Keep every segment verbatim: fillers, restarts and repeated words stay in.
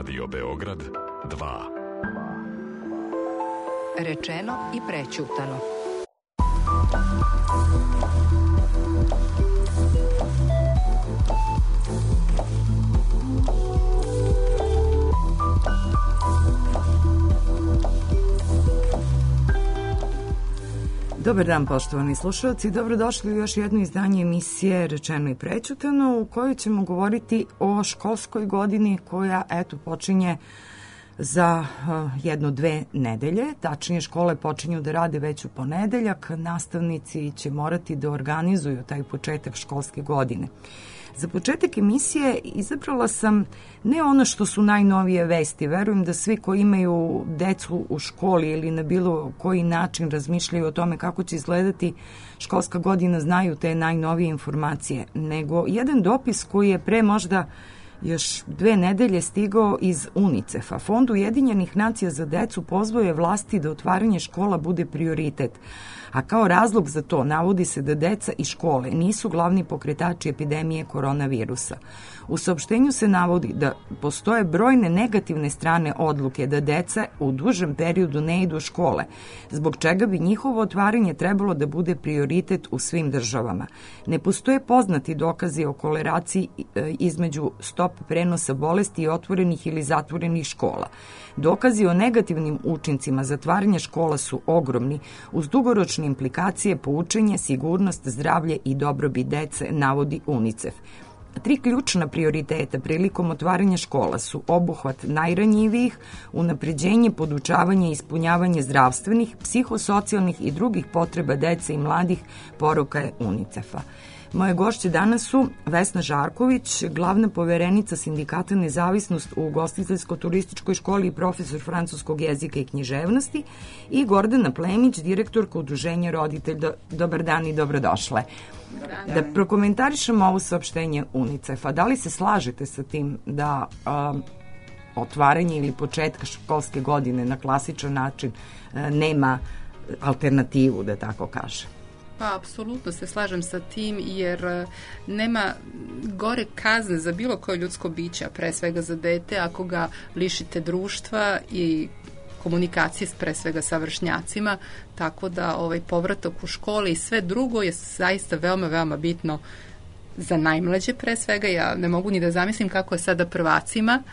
Radio Beograd dva. Rečeno i prećutano. Dobar dan, poštovani slušalci, dobrodošli u još jedno izdanje emisije Rečeno i prećutano, u kojoj ćemo govoriti o školskoj godini koja, eto, počinje za uh, jedno, dve nedelje. Tačnije, škole počinju da rade već u ponedeljak, nastavnici će morati da organizuju taj početak školske godine. Za početak emisije izabrala sam ne ono što su najnovije vesti. Verujem da svi koji imaju decu u školi ili na bilo koji način razmišljaju o tome kako će izgledati školska godina znaju te najnovije informacije, nego jedan dopis koji je pre možda još dve nedelje stigao iz UNICEF-a. Fond Ujedinjenih nacija za decu pozvao je vlasti da otvaranje škola bude prioritet, a kao razlog za to navodi se da deca i škole nisu glavni pokretači epidemije koronavirusa. U saopštenju se navodi da postoje brojne negativne strane odluke da deca u dužem periodu ne idu u škole, zbog čega bi njihovo otvaranje trebalo da bude prioritet u svim državama. Ne postoje poznati dokazi o korelaciji između stop prenosa bolesti i otvorenih ili zatvorenih škola. Dokazi o negativnim učincima zatvaranja škola su ogromni, uz dugoročne implikacije po učenje, sigurnost, zdravlje i dobrobit dece, navodi UNICEF. Tri ključna prioriteta prilikom otvaranja škola su obuhvat najranjivijih, unapređenje, podučavanje i ispunjavanje zdravstvenih, psihosocijalnih i drugih potreba dece i mladih, poruka je UNICEF-a. Moje gošće danas su Vesna Žarković, glavna poverenica Sindikata Nezavisnost u ugostiteljsko-turističkoj školi i profesor francuskog jezika i književnosti, i Gordana Plemić, direktorka Udruženja roditelja. Dobar dan i dobrodošle. Da prokomentarišemo ovo saopštenje UNICEF-a. Da li se slažete sa tim da um, otvaranje ili početka školske godine na klasičan način uh, nema alternativu, da tako kažem? Pa, apsolutno se slažem sa tim, jer nema gore kazne za bilo koje ljudsko biće, a pre svega za dete, ako ga lišite društva i komunikacije pre svega sa vršnjacima, tako da ovaj povratak u školi i sve drugo je zaista veoma, veoma bitno za najmlađe pre svega. Ja ne mogu ni da zamislim kako je sada prvacima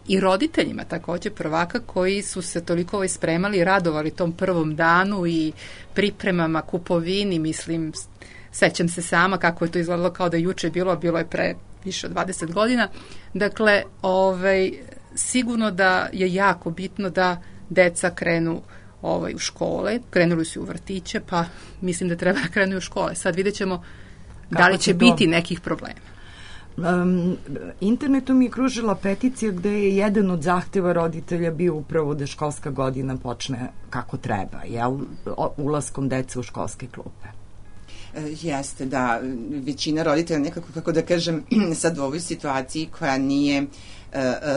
i roditeljima takođe prvaka koji su se toliko ovaj spremali i radovali tom prvom danu i pripremama, kupovini, mislim, sećam se sama kako je to izgledalo kao da juče bilo, bilo je pre više od dvadeset godina. Dakle, ovaj, sigurno da je jako bitno da deca krenu ovaj, u škole, krenuli su u vrtiće, pa mislim da treba da krenu u škole. Sad vidjet ćemo da li će biti nekih problema. Um, internetom je kružila peticija gde je jedan od zahteva roditelja bio upravo da školska godina počne kako treba, jel? Ulaskom dece u školske klupe. Jeste, da, većina roditelja nekako, kako da kažem, sad u ovoj situaciji koja nije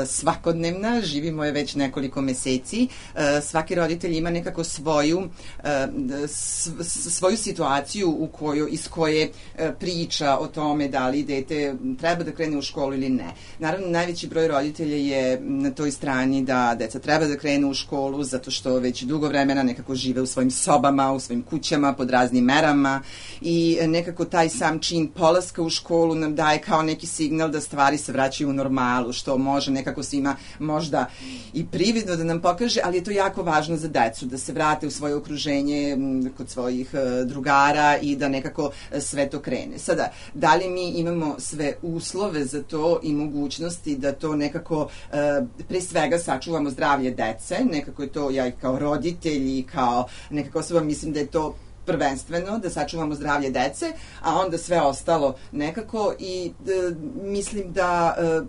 svakodnevna, živimo je već nekoliko meseci, svaki roditelj ima nekako svoju svoju situaciju u kojoj, iz koje priča o tome da li dete treba da krene u školu ili ne. Naravno, najveći broj roditelja je na toj strani da deca treba da krenu u školu zato što već dugo vremena nekako žive u svojim sobama, u svojim kućama, pod raznim merama, i nekako taj sam čin polaska u školu nam daje kao neki signal da stvari se vraćaju u normalu, što može nekako svima možda i prividno da nam pokaže, ali je to jako važno za decu, da se vrate u svoje okruženje kod svojih drugara i da nekako sve to krene. Sada, da li mi imamo sve uslove za to i mogućnosti da to nekako pre svega sačuvamo zdravlje dece, nekako je to ja kao roditelj i kao nekako osoba mislim da je to prvenstveno da sačuvamo zdravlje dece, a onda sve ostalo nekako, i e, mislim da e,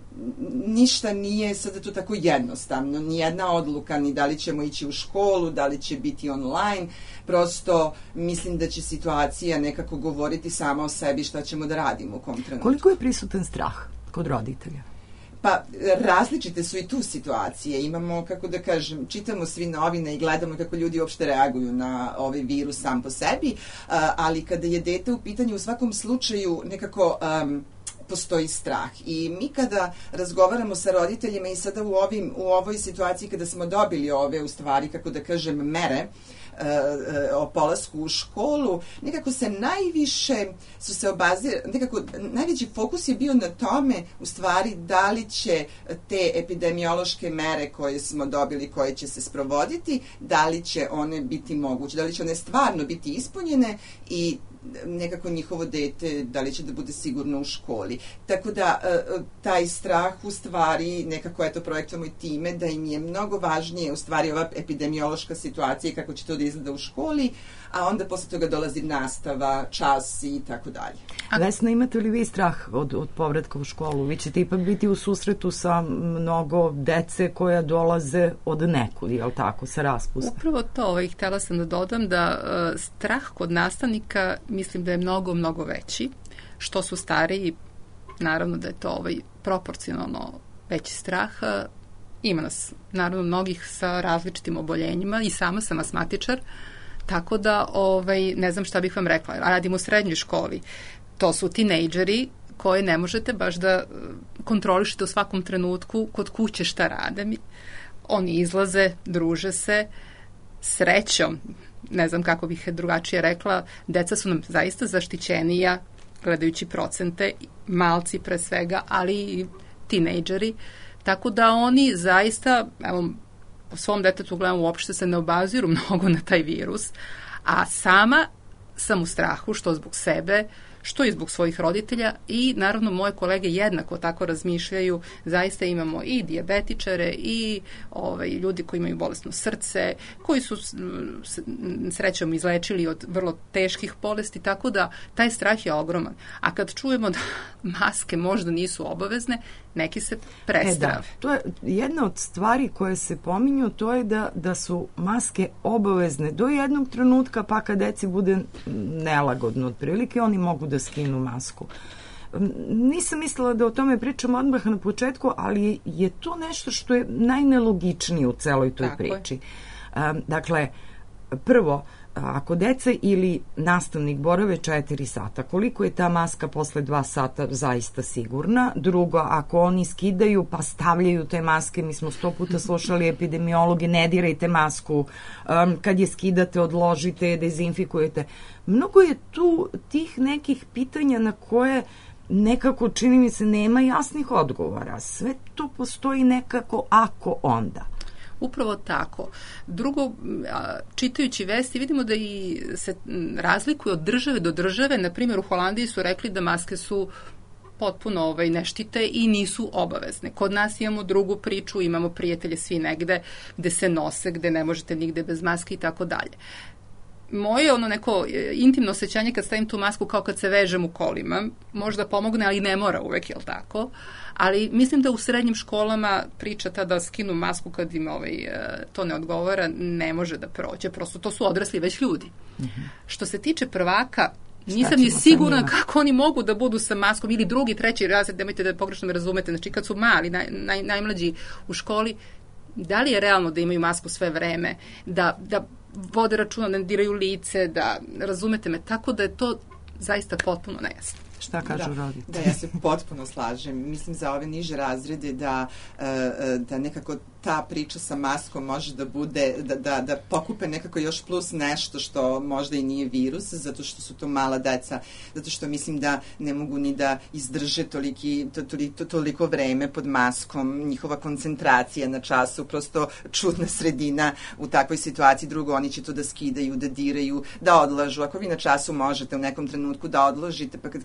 ništa nije sada to tako jednostavno, nijedna odluka ni da li ćemo ići u školu, da li će biti online, prosto mislim da će situacija nekako govoriti sama o sebi šta ćemo da radimo u kom trenutku. Koliko je prisutan strah kod roditelja? Pa, različite su i tu situacije. Imamo, kako da kažem, čitamo svi novine i gledamo kako ljudi uopšte reaguju na ovaj virus sam po sebi, ali kada je dete u pitanju, u svakom slučaju nekako um, postoji strah. I mi kada razgovaramo sa roditeljima i sada u, ovim, u ovoj situaciji kada smo dobili ove, u stvari, kako da kažem, mere, o polasku u školu, nekako se najviše su se obazir, nekako najveći fokus je bio na tome u stvari da li će te epidemiološke mere koje smo dobili, koje će se sprovoditi, da li će one biti moguće, da li će one stvarno biti ispunjene i nekako njihovo dete, da li će da bude sigurno u školi. Tako da, taj strah u stvari nekako eto projektujemo i time da im je mnogo važnije u stvari ova epidemiološka situacija i kako će to da izgleda u školi, a onda posle toga dolazi nastava, čas i tako dalje. Vesna, imate li vi strah od, od povratka u školu? Vi ćete ipak biti u susretu sa mnogo dece koja dolaze od nekud, je li tako, sa raspusta? Upravo to, ovaj, htjela sam da dodam da uh, strah kod nastavnika mislim da je mnogo, mnogo veći. Što su stariji, naravno da je to ovaj, proporcionalno veći strah. Ima nas, naravno, mnogih sa različitim oboljenjima i sama sam asmatičar, tako da ovaj, ne znam šta bih vam rekla. Radim u srednjoj školi. To su tinejdžeri koje ne možete baš da kontrolišete u svakom trenutku kod kuće šta rade. Oni izlaze, druže se, srećom, ne znam kako bih drugačije rekla, deca su nam zaista zaštićenija, gledajući procente, malci pre svega, ali i tinejdžeri, tako da oni zaista, evo, po svom detetu gledam, uopšte se ne obaziru mnogo na taj virus, a sama sam u strahu, što zbog sebe, što i zbog svojih roditelja i naravno moje kolege jednako tako razmišljaju. Zaista imamo i dijabetičare i ovaj, ljudi koji imaju bolesno srce, koji su srećom izlečili od vrlo teških bolesti, tako da taj strah je ogroman. A kad čujemo da maske možda nisu obavezne, neki se prestrave. E da, to je jedna od stvari koje se pominju, to je da, da su maske obavezne do jednog trenutka, pa kad deci bude nelagodno otprilike, oni mogu da skinu masku. Nisam mislila da o tome pričam odmah na početku, ali je to nešto što je najnelogičnije u celoj toj Tako priči. Je. Dakle, prvo, ako deca ili nastavnik borave četiri sata, koliko je ta maska posle dva sata zaista sigurna? Drugo, ako oni skidaju pa stavljaju te maske, mi smo sto puta slušali epidemiologe, ne dirajte masku, um, kad je skidate, odložite, dezinfikujete. Mnogo je tu tih nekih pitanja na koje nekako, čini mi se, nema jasnih odgovora. Sve to postoji nekako ako onda. Upravo tako. Drugo, čitajući vesti, vidimo da i se razlikuju od države do države. Na primjer, u Holandiji su rekli da maske su potpuno ovaj, neštite i nisu obavezne. Kod nas imamo drugu priču, imamo prijatelje svi negde gde se nose, gde ne možete nigde bez maske i tako dalje. Moje ono neko intimno osjećanje kad stavim tu masku kao kad se vežem u kolima, možda pomogne, ali ne mora uvek, jel tako? Ali mislim da u srednjim školama priča ta da skinu masku kad im ovaj, to ne odgovara, ne može da prođe. Prosto to su odrasli već ljudi. Mm-hmm. Što se tiče prvaka, nisam ni sigurna kako oni mogu da budu sa maskom ili drugi, treći razred, nemojte da pogrešno me razumete, znači kad su mali, naj, naj, najmlađi u školi, da li je realno da imaju masku sve vreme, da, da vode računa, da ne diraju lice, da razumete me, tako da je to zaista potpuno nejasno. Šta kažu da, roditelji? Da, ja se potpuno slažem. Mislim za ove niže razrede da, da nekako ta priča sa maskom može da bude, da, da, da pokupe nekako još plus nešto što možda i nije virus, zato što su to mala deca, zato što mislim da ne mogu ni da izdrže toliki, to, toliko, toliko vreme pod maskom, njihova koncentracija na času, prosto čudna sredina u takvoj situaciji. Drugo, oni će to da skidaju, da diraju, da odlažu. Ako vi na času možete u nekom trenutku da odložite, pa kad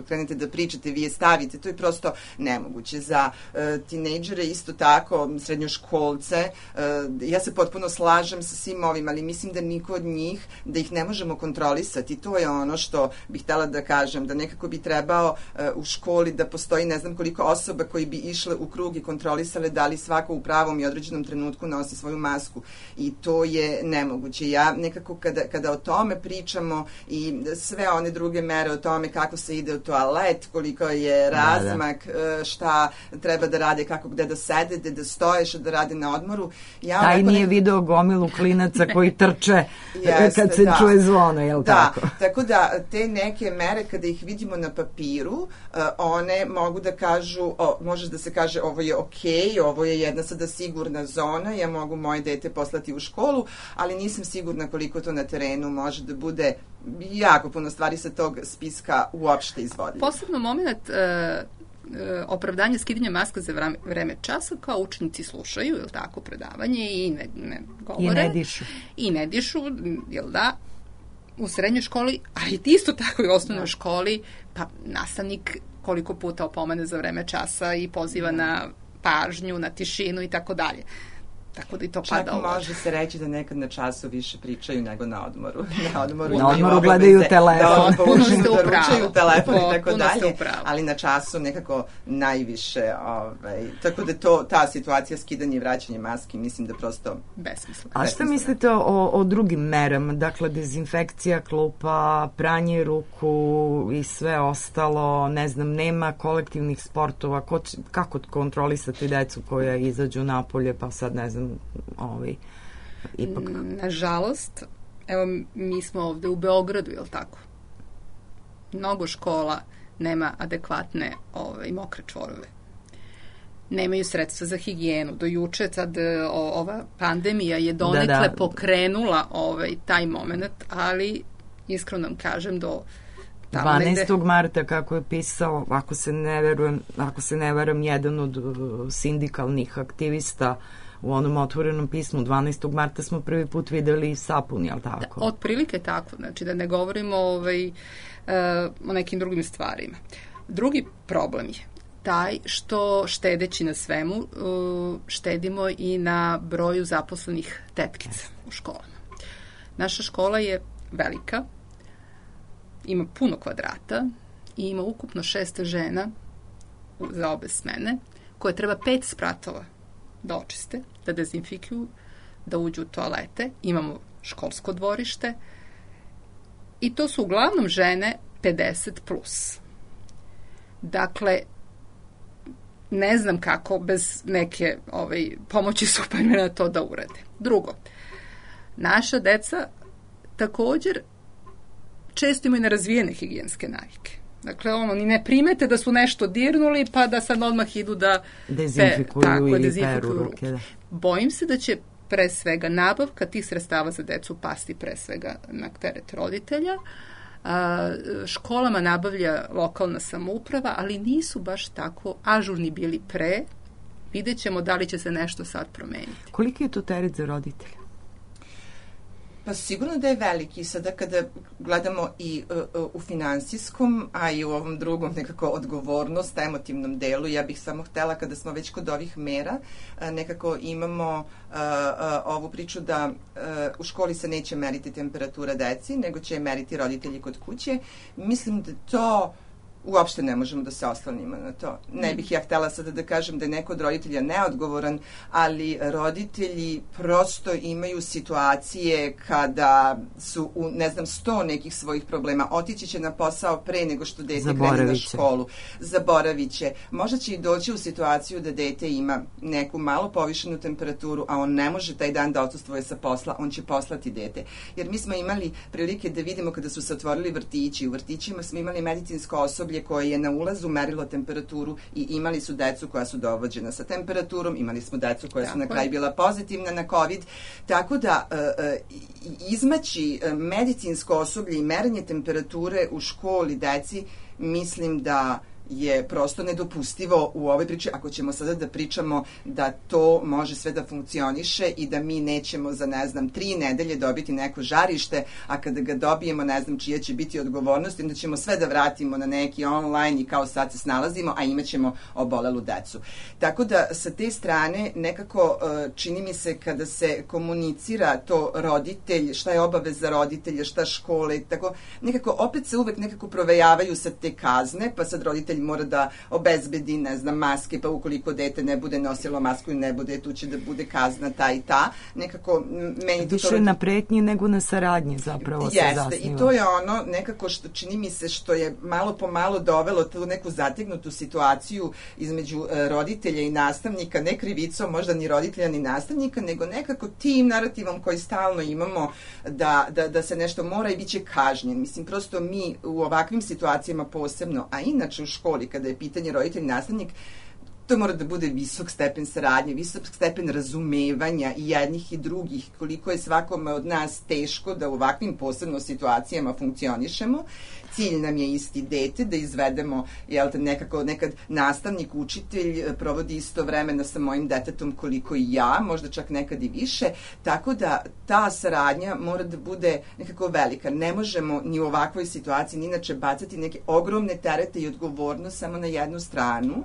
krenete da pričate, vi je stavite, to je prosto nemoguće. Za uh, tinejdžere isto tako, srednjoškolce, uh, ja se potpuno slažem sa svim ovim, ali mislim da niko od njih, da ih ne možemo kontrolisati. To je ono što bih htela da kažem, da nekako bi trebao uh, u školi da postoji ne znam koliko osoba koji bi išle u krug i kontrolisale da li svako u pravom i određenom trenutku nosi svoju masku. I to je nemoguće. Ja nekako kada, kada o tome pričamo i sve one druge mere o tome kako se ide u toalet, koliko je razmak, da, da. šta treba da rade, kako gde da sede, gde da stoje, da rade na odmoru. Ja Taj nije ne... video gomilu klinaca koji trče Jeste, kad se da. čuje zvono, je li da, tako? Tako da te neke mere kada ih vidimo na papiru, uh, one mogu da kažu, o, može da se kaže ovo je okej, ovo je jedna sada sigurna zona, ja mogu moje dete poslati u školu, ali nisam sigurna koliko to na terenu može da bude jako puno stvari sa tog spiska uopšte izvodljivo. Posebno moment uh, opravdanje skidanja maska za vreme, vreme časa, kao učenici slušaju, jel tako, predavanje i ne, ne govore. I ne dišu. I ne dišu, jel da, u srednjoj školi, ali isto tako i u osnovnoj da. školi, pa nastavnik koliko puta opomene za vreme časa i poziva da. na pažnju, na tišinu i tako dalje. Tako da i to Čak pada ovo. može se reći da nekad na času više pričaju nego na odmoru. Na odmoru, na odmoru gledaju telefon. Da, Puno ste da ručaju telefon i tako dalje, upravo. Ali na času nekako najviše, ovaj, tako da to, ta situacija skidanje i vraćanje maski, mislim da prosto besmisleno. A šta mislite o, o drugim merama? Dakle, dezinfekcija klupa, pranje ruku i sve ostalo, ne znam, nema kolektivnih sportova, ko, kako kontrolisati decu koja izađu napolje, pa sad ne znam, ovaj, ipak... Nažalost, evo mi smo ovde u Beogradu, je li tako? Mnogo škola nema adekvatne ovaj, mokre čvorove. Nemaju sredstva za higijenu. Do juče sad o, ova pandemija je donekle da, da. pokrenula ovaj, taj moment, ali iskreno vam kažem do dvanaestog marta, kako je pisao, ako se ne verujem, ako se ne verujem, jedan od sindikalnih aktivista u onom otvorenom pismu, dvanaestog marta smo prvi put videli sapun, jel tako? Da, otprilike tako, znači da ne govorimo ovaj, uh, o nekim drugim stvarima. Drugi problem je taj što štedeći na svemu, uh, štedimo i na broju zaposlenih tetkica u školama. Naša škola je velika, ima puno kvadrata i ima ukupno šest žena za obe smene, koje treba pet spratova da očiste, da dezinfikuju, da uđu u toalete. Imamo školsko dvorište i to su uglavnom žene pedeset plus. Dakle, ne znam kako bez neke ovaj, pomoći Supermana to da urade. Drugo, naša deca također često imaju nerazvijene higijenske navike. Dakle, ono, ni ne primete da su nešto dirnuli, pa da sad odmah idu da dezinfikuju pe, tako, ili dezinfikuju peru ruke. Da. Bojim se da će pre svega nabavka tih sredstava za decu pasti pre svega na teret roditelja. A, školama nabavlja lokalna samouprava, ali nisu baš tako ažurni bili pre. Vidjet ćemo da li će se nešto sad promeniti. Koliki je to teret za roditelja? Pa sigurno da je veliki. Sada kada gledamo i uh, u finansijskom, a i u ovom drugom nekako odgovornost, emotivnom delu, ja bih samo htela kada smo već kod ovih mera, uh, nekako imamo uh, uh, ovu priču da uh, u školi se neće meriti temperatura deci, nego će meriti roditelji kod kuće. Mislim da to uopšte ne možemo da se oslonimo na to. Ne bih ja htela sada da kažem da je neko od roditelja neodgovoran, ali roditelji prosto imaju situacije kada su u, ne znam, sto nekih svojih problema. Otići će na posao pre nego što dete krene na školu. Zaboravit će. Možda će i doći u situaciju da dete ima neku malo povišenu temperaturu, a on ne može taj dan da odsustvuje sa posla, on će poslati dete. Jer mi smo imali prilike da vidimo kada su se otvorili vrtići. U vrtićima smo imali medicinsko osoblje koje je na ulazu merilo temperaturu i imali su decu koja su dovođena sa temperaturom, imali smo decu koja su na kraju bila pozitivna na COVID, tako da izmaći medicinsko osoblje i merenje temperature u školi deci, mislim da je prosto nedopustivo u ovoj priči, ako ćemo sada da pričamo da to može sve da funkcioniše i da mi nećemo za, ne znam, tri nedelje dobiti neko žarište, a kada ga dobijemo, ne znam čija će biti odgovornost, onda ćemo sve da vratimo na neki online i kao sad se snalazimo, a imaćemo obolelu decu. Tako da sa te strane nekako čini mi se kada se komunicira to roditelj, šta je obaveza roditelja, šta škole, tako nekako opet se uvek nekako provejavaju sa te kazne, pa sad roditelj roditelj mora da obezbedi, ne znam, maske, pa ukoliko dete ne bude nosilo masku i ne bude, tu će da bude kazna ta i ta. Nekako, meni više to... na pretnji nego na saradnji zapravo Jeste, se zasniva. I to je ono nekako što čini mi se što je malo po malo dovelo tu neku zategnutu situaciju između e, roditelja i nastavnika, ne krivicom možda ni roditelja ni nastavnika, nego nekako tim narativom koji stalno imamo da, da, da se nešto mora i bit će kažnjen. Mislim, prosto mi u ovakvim situacijama posebno, a inače u školi kada je pitanje roditelj i nastavnik, to mora da bude visok stepen saradnje, visok stepen razumevanja i jednih i drugih, koliko je svakome od nas teško da u ovakvim posebno situacijama funkcionišemo. Cilj nam je isti, dete, da izvedemo, jel te, nekako, nekad nastavnik, učitelj provodi isto vremena sa mojim detetom koliko i ja, možda čak nekad i više, tako da ta saradnja mora da bude nekako velika. Ne možemo ni u ovakvoj situaciji, ni inače bacati neke ogromne terete i odgovornost samo na jednu stranu,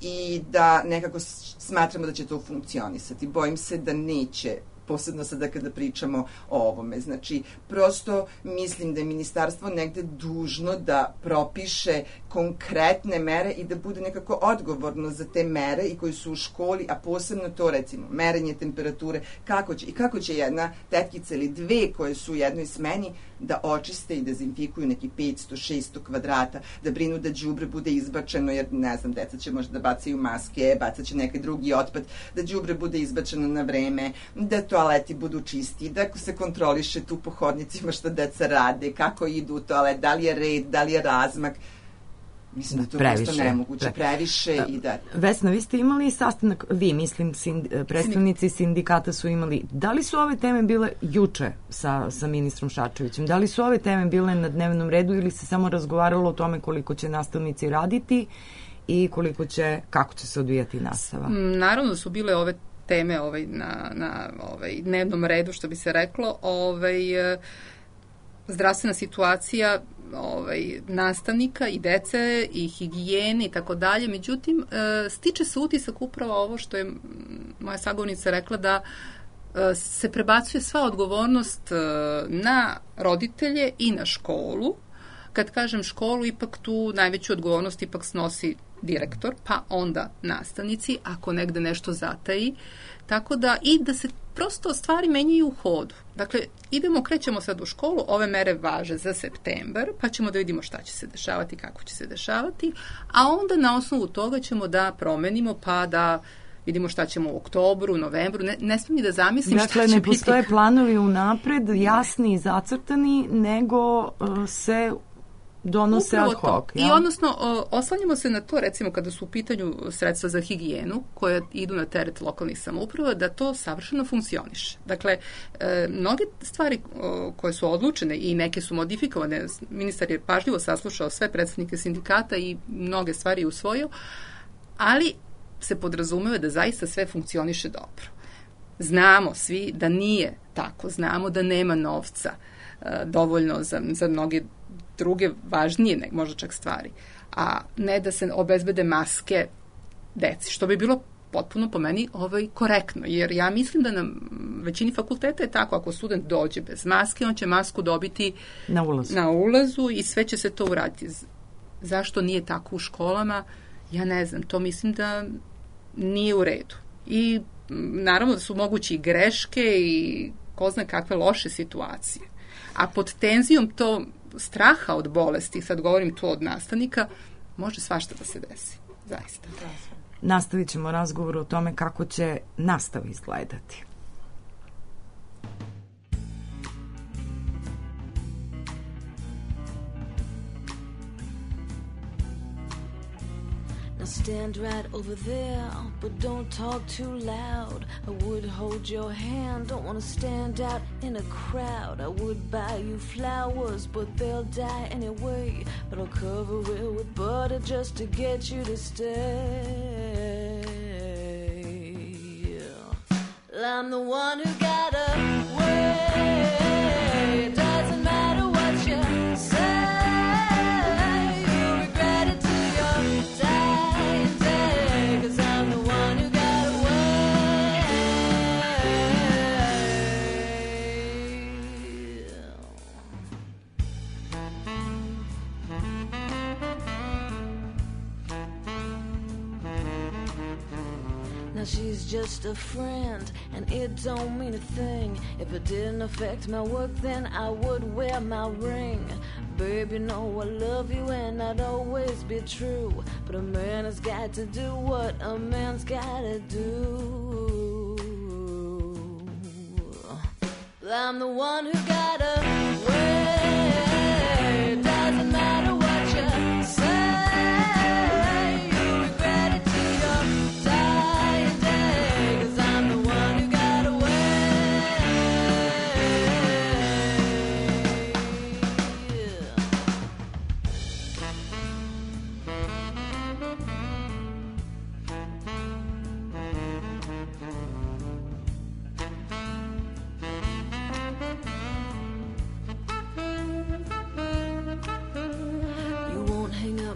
i da nekako smatramo da će to funkcionisati. Bojim se da neće, posebno sada kada pričamo o ovome. Znači, prosto mislim da je ministarstvo negde dužno da propiše konkretne mere i da bude nekako odgovorno za te mere i koji su u školi, a posebno to, recimo, merenje temperature, kako će, i kako će jedna tetkica ili dve koje su u jednoj smeni da očiste i dezinfikuju neki petsto šesto kvadrata, da brinu da đubre bude izbačeno, jer ne znam, deca će možda da bacaju maske, bacat će neki drugi otpad, da đubre bude izbačeno na vreme, da toaleti budu čisti, da se kontroliše tu po hodnicima šta deca rade, kako idu u toalet, da li je red, da li je razmak. Mislim da to previše, prosto nemoguće, previše i da... Vesna, vi ste imali sastanak, vi, mislim, sind, predstavnici sindikata su imali, da li su ove teme bile juče sa, sa ministrom Šarčevićem? Da li su ove teme bile na dnevnom redu ili se samo razgovaralo o tome koliko će nastavnici raditi i koliko će, kako će se odvijati nastava? Naravno su bile ove teme ovaj, na, na ovaj, dnevnom redu, što bi se reklo. Ovaj, zdravstvena situacija ovaj, nastavnika i dece i higijene i tako dalje. Međutim, e, stiče se utisak upravo ovo što je moja sagovornica rekla, da e, se prebacuje sva odgovornost e, na roditelje i na školu. Kad kažem školu, ipak tu najveću odgovornost ipak snosi direktor, pa onda nastavnici, ako negde nešto zataji. Tako da, i da se prosto stvari menjaju u hodu. Dakle, idemo, krećemo sad u školu, ove mere važe za septembar, pa ćemo da vidimo šta će se dešavati, kako će se dešavati, a onda na osnovu toga ćemo da promenimo, pa da vidimo šta ćemo u oktobru, novembru, ne, ne smijem ni da zamislim dakle, šta će biti. Dakle, ne postoje biti... planovi unapred, jasni i zacrtani, nego uh, se donose ad hoc. I odnosno, o, oslanjamo se na to, recimo, kada su u pitanju sredstva za higijenu, koje idu na teret lokalnih samouprava, da to savršeno funkcioniše. Dakle, e, mnoge stvari o, koje su odlučene i neke su modifikovane, ministar je pažljivo saslušao sve predstavnike sindikata i mnoge stvari usvojio, ali se podrazumeva da zaista sve funkcioniše dobro. Znamo svi da nije tako, znamo da nema novca e, dovoljno za, za mnoge druge važnije, ne, možda čak stvari, a ne da se obezbede maske deci, što bi bilo potpuno po meni ovaj, korektno, jer ja mislim da na većini fakulteta je tako, ako student dođe bez maske, on će masku dobiti na ulazu, na ulazu i sve će se to uraditi. Zašto nije tako u školama? Ja ne znam, to mislim da nije u redu. I naravno da su mogući i greške i ko zna kakve loše situacije. A pod tenzijom to straha od bolesti, sad govorim to od nastavnika, može svašta da se desi. Zaista. Nastavit ćemo razgovor o tome kako će nastava izgledati. Now stand right over there, but don't talk too loud. I would hold your hand, don't want to stand out in a crowd. I would buy you flowers, but they'll die anyway. But I'll cover it with butter just to get you to stay. I'm the one who got away. It doesn't matter what you say. now she's just a friend, and it don't mean a thing. If it didn't affect my work, then I would wear my ring. Babe, you know I love you and I'd always be true, but a man has got to do what a man's gotta do. I'm the one who got away. It doesn't matter what you say, you regret it till your dying day, 'cause I'm the one who got away.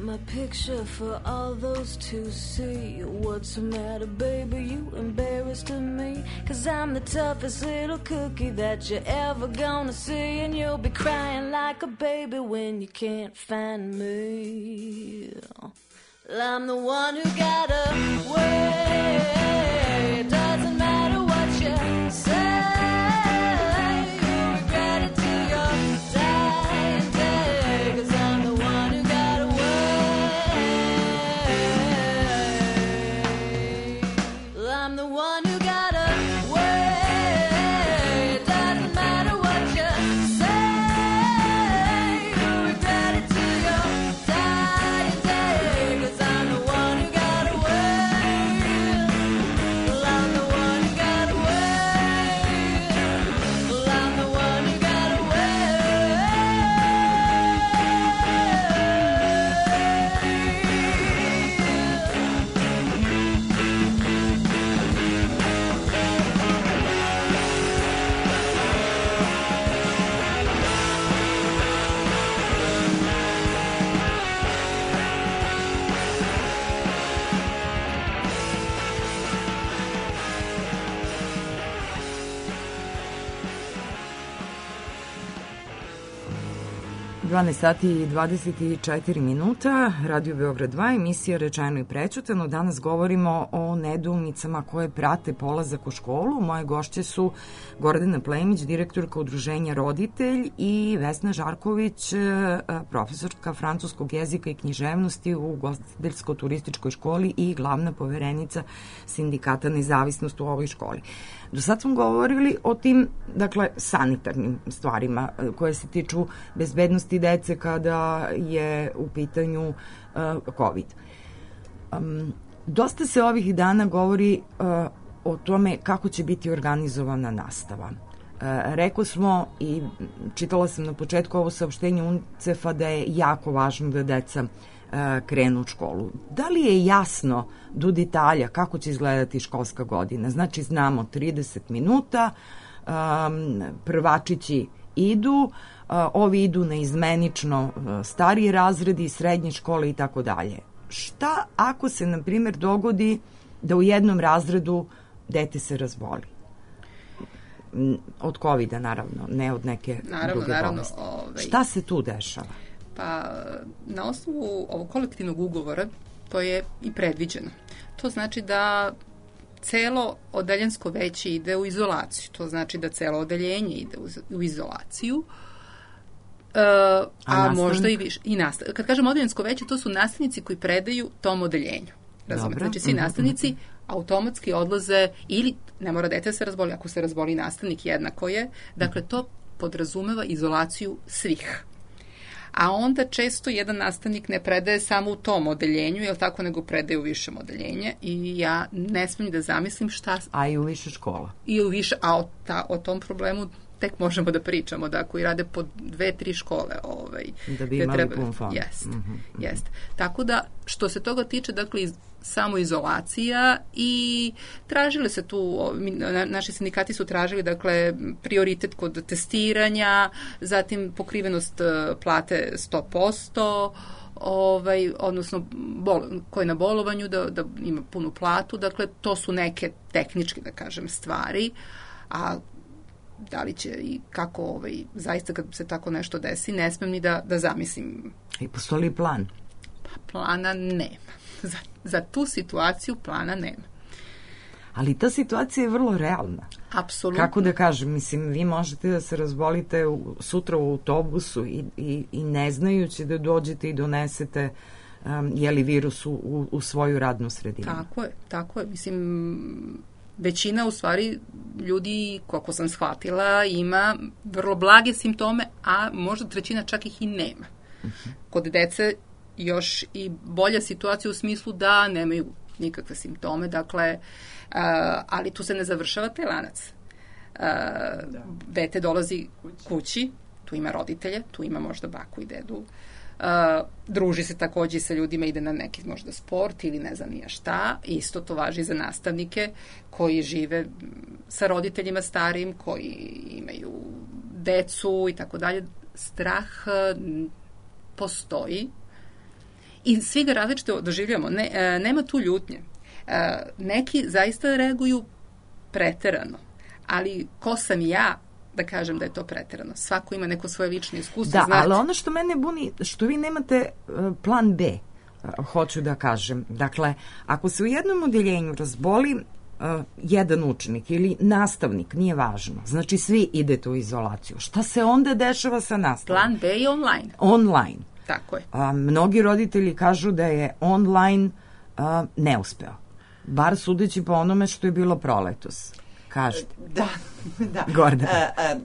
My picture for all those to see. What's the matter, baby? You embarrassed of me? 'Cause I'm the toughest little cookie that you're ever gonna see, and you'll be crying like a baby when you can't find me. I'm the one who got away. It doesn't matter what you say. dvanaest sati i dvadeset četiri minuta, Radio Beograd dva, emisija Rečeno i prećutano. Danas govorimo o nedoumicama koje prate polazak u školu. Moje gošće su Gordana Plemić, direktorka Udruženja Roditelj, i Vesna Žarković, profesorka francuskog jezika i književnosti u Ugostiteljsko-turističkoj školi i glavna poverenica Sindikata Nezavisnost u ovoj školi. Do sad smo govorili o tim, dakle, sanitarnim stvarima koje se tiču bezbednosti dece kada je u pitanju uh, COVID. Um, dosta se ovih dana govori uh, o tome kako će biti organizovana nastava. Uh, rekli smo i čitala sam na početku ovo saopštenje UNICEF-a da je jako važno da deca uh, krenu u školu. Da li je jasno do detalja kako će izgledati školska godina? Znači, znamo trideset minuta, um, prvačići idu, uh, ovi idu na izmenično uh, stariji razredi, srednje škole i tako dalje. Šta ako se, na primjer, dogodi da u jednom razredu dete se razboli? Od kovida, naravno, ne od neke naravno, druge naravno, bolesti. ovaj... Šta se tu dešava? Pa, na osnovu ovog kolektivnog ugovora to je i predviđeno. To znači da celo odeljensko veće ide u izolaciju. To znači da celo odeljenje ide u izolaciju. Uh, a, a možda i više. I nastav... Kad kažem odeljensko veće, to su nastavnici koji predaju tom odeljenju. Razumete? Znači, svi nastavnici automatski odlaze, ili ne mora dete se razboli, ako se razboli nastavnik, jednako je. Dakle, to podrazumeva izolaciju svih. A onda često jedan nastavnik ne predaje samo u tom odeljenju, jel tako, nego predaje u višem odeljenje, i ja ne smijem da zamislim šta... A i u više škola. I u više, a o, ta, o tom problemu tek možemo da pričamo, da koji rade po dve, tri škole. Ovaj, da bi imali treba, pun fond. Jest, mm-hmm. jest. Tako da, što se toga tiče, dakle, iz, samoizolacija, i tražile se tu, na, naši sindikati su tražili, dakle, prioritet kod testiranja, zatim pokrivenost plate sto posto, ovaj, odnosno bol, ko je na bolovanju da, da ima punu platu, dakle, to su neke tehničke, da kažem, stvari, a da li će i kako ovaj, zaista kad se tako nešto desi, ne smem ni da, da zamislim. I postoji li plan? Pa plana nema. Za, za tu situaciju plana nema. Ali ta situacija je vrlo realna. Apsolutno. Kako da kažem, mislim, vi možete da se razbolite u, sutra u autobusu i, i, i ne znajući da dođete i donesete um, jeli virus u, u, u svoju radnu sredinu. Tako je, tako je. Mislim, većina u stvari ljudi, koliko sam shvatila, ima vrlo blage simptome, a možda trećina čak ih i nema. Uh-huh. Kod dece još i bolja situacija u smislu da nemaju nikakve simptome, dakle, uh, ali tu se ne završava taj lanac. Uh, da. Dete dolazi kući. kući, tu ima roditelje, tu ima možda baku i dedu, uh, druži se takođe sa ljudima, ide na neki možda sport ili ne znam nija šta. Isto to važi za nastavnike koji žive sa roditeljima starim, koji imaju decu i tako dalje. Strah postoji i svi ga različito doživljamo. Ne, e, nema tu ljutnje. E, neki zaista reaguju preterano, ali ko sam ja da kažem da je to preterano? Svako ima neko svoje lično iskustvo. Da, znate. Ali ono što mene buni, što vi nemate uh, plan B, uh, hoću da kažem. Dakle, ako se u jednom odeljenju razboli uh, jedan učenik ili nastavnik, nije važno, znači svi idete u izolaciju. Šta se onda dešava sa nastavom? Plan B je online. Online. Tako je. A, mnogi roditelji kažu da je online a, neuspeo. Bar sudeći po onome što je bilo proletos. Kažete. Da, da. Gordana. A, a,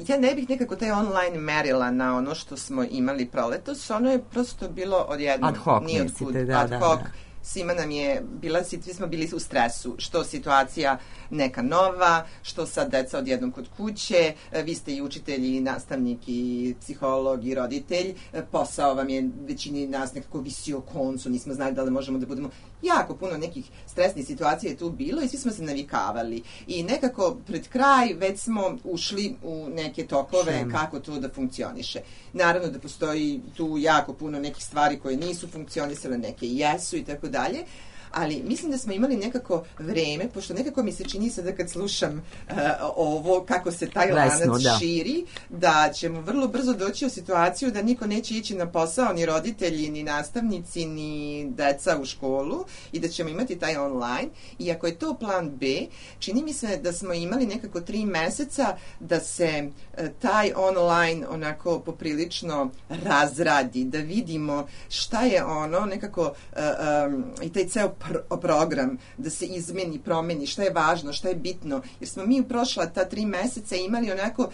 ja ne bih nekako taj online merila na ono što smo imali proletos. Ono je prosto bilo odjednom. Ad hoc, nije mislite, da, ad da, hoc. da. Svima nam je bila, svi smo bili u stresu, što situacija neka nova, što sad deca odjednom kod kuće, vi ste i učitelj, i nastavnik, i psiholog, i roditelj, posao vam je većini nas nekako visio o koncu, nismo znali da li možemo da budemo, jako puno nekih stresnih situacija je tu bilo i svi smo se navikavali. I nekako pred kraj već smo ušli u neke tokove Šem. kako to da funkcioniše. Naravno da postoji tu jako puno nekih stvari koje nisu funkcionisale, neke jesu i tako dalje, ali mislim da smo imali nekako vreme, pošto nekako mi se čini sada kad slušam uh, ovo, kako se taj Lesno, lanac da. širi, da ćemo vrlo brzo doći u situaciju da niko neće ići na posao, ni roditelji, ni nastavnici, ni deca u školu i da ćemo imati taj online. I ako je to plan B, čini mi se da smo imali nekako tri meseca da se uh, taj online onako poprilično razradi, da vidimo šta je ono nekako uh, um, i taj ceo Pro, program, da se izmeni, promeni, šta je važno, šta je bitno, jer smo mi u prošla ta tri meseca imali onako,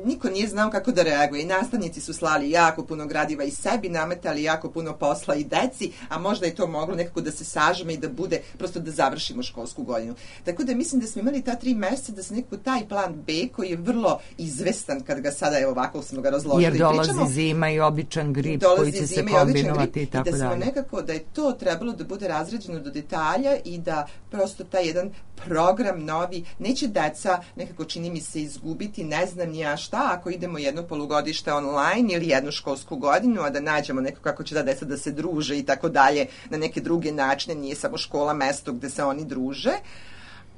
niko nije znao kako da reaguje i nastavnici su slali jako puno gradiva i sebi, nametali jako puno posla i deci, a možda je to moglo nekako da se sažme i da bude, prosto da završimo školsku godinu. Tako da mislim da smo imali ta tri meseca da se nekako taj plan B, koji je vrlo izvestan kad ga sada, evo ovako smo ga razložili. Jer dolazi pričamo, zima i običan grip koji će se kombinovati i tako dalje. I da smo nekako, da je to trebalo da bude razređeno do detalja i da prosto taj jedan program novi, neće deca nekako čini mi se izgubiti, ne znam ni ja šta, ako idemo jedno polugodište online ili jednu školsku godinu, a da nađemo neko kako će da deca da se druže i tako dalje na neke druge načine, nije samo škola mesto gde se oni druže,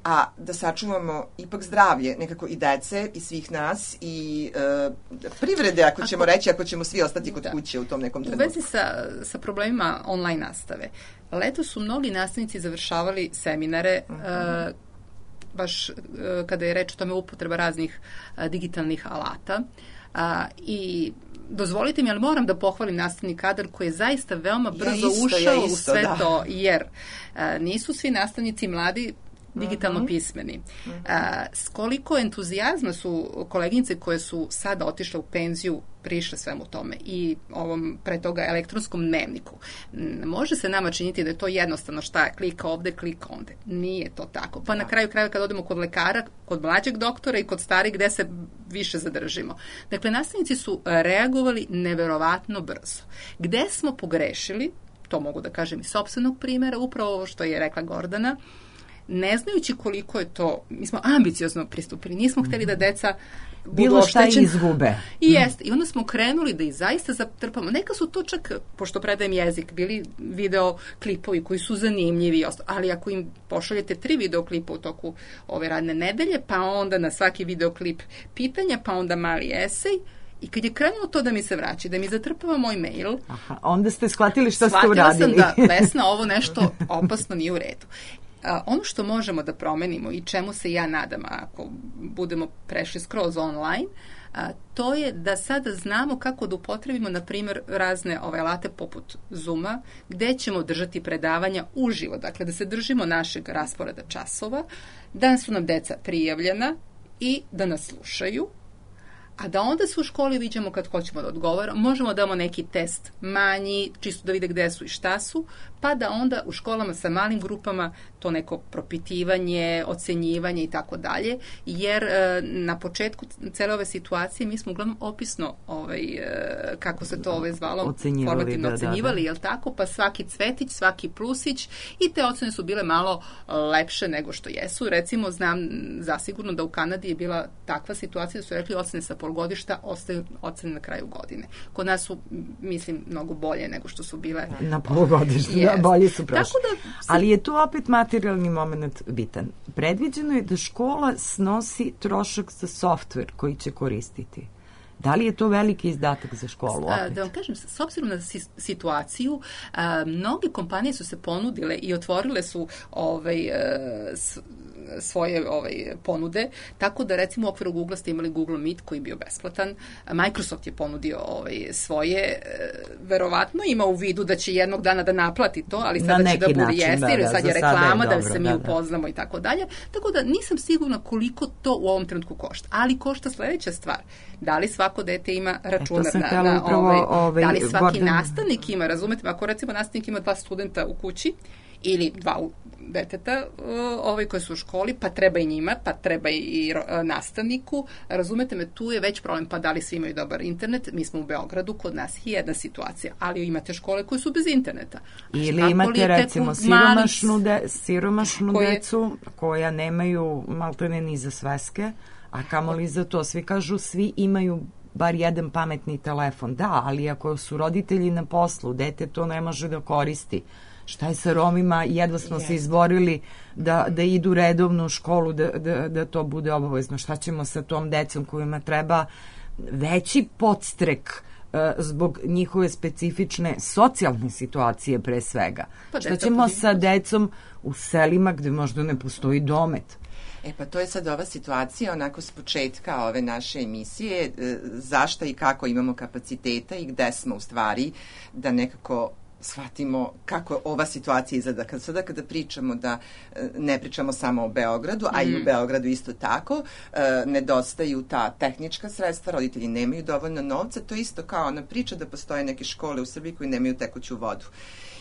a da sačuvamo ipak zdravlje nekako i dece i svih nas i e, privrede, ako ćemo ako, reći, ako ćemo svi ostati kod da. kuće u tom nekom trenutku. U vezi sa, sa problemima online nastave, leto su mnogi nastavnici završavali seminare, uh-huh. uh, baš uh, kada je reč o tome upotreba raznih uh, digitalnih alata uh, i dozvolite mi, ali moram da pohvalim nastavni kadar koji je zaista veoma brzo ja isto, ušao ja isto, u sve da. to, jer uh, nisu svi nastavnici mladi digitalno uh-huh. pismeni. Uh-huh. A, s koliko entuzijazma su koleginice koje su sada otišle u penziju prišle svemu tome i ovom pre toga elektronskom dnevniku. Može se nama činiti da je to jednostavno šta je, klika ovde, klika onde. Nije to tako. Pa da. na kraju kraja kad odemo kod lekara, kod mlađeg doktora i kod starih gde se više zadržimo. Dakle, nastavnici su reagovali neverovatno brzo. Gde smo pogrešili, to mogu da kažem iz sopstvenog primjera, upravo ovo što je rekla Gordana, ne znajući koliko je to, mi smo ambiciozno pristupili, nismo hteli da deca budu bilo šta oštećeni. izgube. I jeste. I onda smo krenuli da ih zaista zatrpamo. Neka su to čak, pošto predajem jezik, bili video klipovi koji su zanimljivi, ali ako im pošaljete tri video klipa u toku ove radne nedelje, pa onda na svaki video klip pitanja, pa onda mali esej, i kad je krenulo to da mi se vraća, da mi zatrpava moj mail, Aha, onda ste shvatili šta ste uradili. Shvatila sam da, Vesna, ovo nešto opasno nije u redu. A, ono što možemo da promenimo i čemu se ja nadam ako budemo prešli skroz online, a, to je da sada znamo kako da upotrebimo, na primjer, razne ove alate poput Zooma, gde ćemo držati predavanja uživo, dakle da se držimo našeg rasporeda časova, da su nam deca prijavljena i da nas slušaju, a da onda se u školi viđamo kad hoćemo da odgovaramo, možemo da damo neki test manji, čisto da vide gde su i šta su, pa da onda u školama sa malim grupama to neko propitivanje, ocenjivanje i tako dalje, jer e, na početku cele ove situacije mi smo uglavnom opisno, ovaj, e, kako se to ovaj zvalo, ocenjivali, formativno da, ocenjivali, da, da. jel tako, pa svaki cvetić, svaki plusić i te ocene su bile malo lepše nego što jesu. Recimo, znam zasigurno da u Kanadi je bila takva situacija da su rekli ocene sa polugodišta ostaju ocene na kraju godine. Kod nas su, mislim, mnogo bolje nego što su bile na polugodištu. Yes. Da, bolje su prošli. Da se... Ali je tu opet materijalni moment bitan. Predviđeno je da škola snosi trošak za softver koji će koristiti. Da li je to veliki izdatak za školu opet? Da vam kažem, s obzirom na situaciju, a, mnoge kompanije su se ponudile i otvorile su ovaj, a, s, svoje ovaj, ponude, tako da recimo u okviru Google ste imali Google Meet koji je bio besplatan, Microsoft je ponudio ovaj, svoje, verovatno ima u vidu da će jednog dana da naplati to, ali sada će da bude jeste, jer sad je reklama, da, se mi da, upoznamo da. I tako dalje, tako da nisam sigurna koliko to u ovom trenutku košta, ali košta sledeća stvar, da li svako dete ima računar na, na upravo, ovaj, ovaj, da li svaki Gordon... nastavnik ima, razumete, ako recimo nastavnik ima dva studenta u kući ili dva deteta ovaj, koji su u školi, pa treba i njima, pa treba i nastavniku, razumete me, tu je već problem, pa da li svi imaju dobar internet, mi smo u Beogradu, kod nas je jedna situacija, ali imate škole koje su bez interneta. Ili imate recimo siromašnu, de, siromašnu koje... decu koja nemaju maltene ni za sveske, a kamoli za to, svi kažu, svi imaju bar jedan pametni telefon. Da, ali ako su roditelji na poslu, dete to ne može da koristi. Šta je sa Romima? Jedva smo yes. se izborili da, da idu redovno u školu, da, da, da to bude obavezno. Šta ćemo sa tom decom kojima treba veći podstrek uh, zbog njihove specifične socijalne situacije pre svega? Pa šta ćemo sa decom u selima gde možda ne postoji domet? E pa to je sad ova situacija onako s početka ove naše emisije, zašta i kako imamo kapaciteta i gde smo u stvari da nekako shvatimo kako ova situacija izgleda. Kad sada kada pričamo da ne pričamo samo o Beogradu, a i u Beogradu isto tako, nedostaju ta tehnička sredstva, roditelji nemaju dovoljno novca, to isto kao ona priča da postoje neke škole u Srbiji koji nemaju tekuću vodu.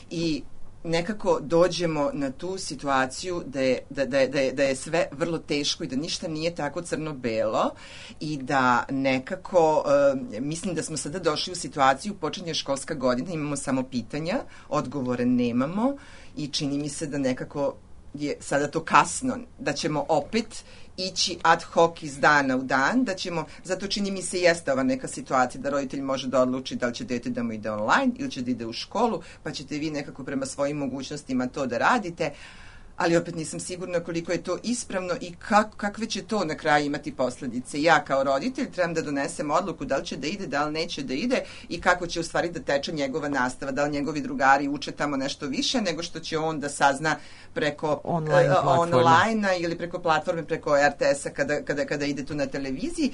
I nekako dođemo na tu situaciju da je, da, da, da, je, da je sve vrlo teško i da ništa nije tako crno-belo i da nekako uh, mislim da smo sada došli u situaciju počinje školska godina, imamo samo pitanja, odgovore nemamo i čini mi se da nekako je sada to kasno, da ćemo opet ići ad hoc iz dana u dan, da ćemo, zato čini mi se jeste ova neka situacija da roditelj može da odluči da li će dete da mu ide online ili će da ide u školu, pa ćete vi nekako prema svojim mogućnostima to da radite, ali opet nisam sigurna koliko je to ispravno i kak, kakve će to na kraju imati posledice. Ja kao roditelj trebam da donesem odluku da li će da ide, da li neće da ide i kako će u stvari da teče njegova nastava, da li njegovi drugari uče tamo nešto više nego što će on da sazna preko online, uh, online-a ili preko platforme, preko er te esa kada, kada, kada ide tu na televiziji.